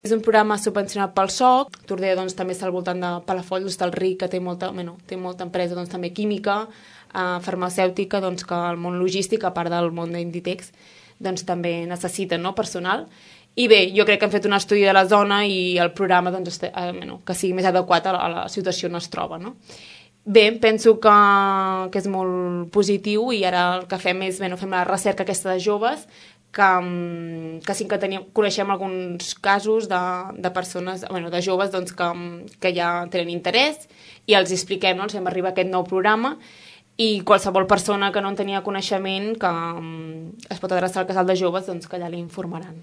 És un programa subvencionat pel SOC. Tordera doncs, també està al voltant de Palafolls, Hostalric, que té molta empresa doncs, també química, farmacèutica, doncs, que el món logístic, a part del món d'Inditex, doncs, també necessita, no, personal. I bé, jo crec que hem fet un estudi de la zona i el programa doncs, que sigui més adequat a la situació on es troba. No? Bé, penso que és molt positiu i ara el que fem és fem la recerca aquesta de joves que sí que coneixem alguns casos de persones, de joves doncs, que ja tenen interès i els expliquem, no? Els fem arribar aquest nou programa i qualsevol persona que no en tenia coneixement que es pot adreçar al casal de joves doncs, que allà li informaran.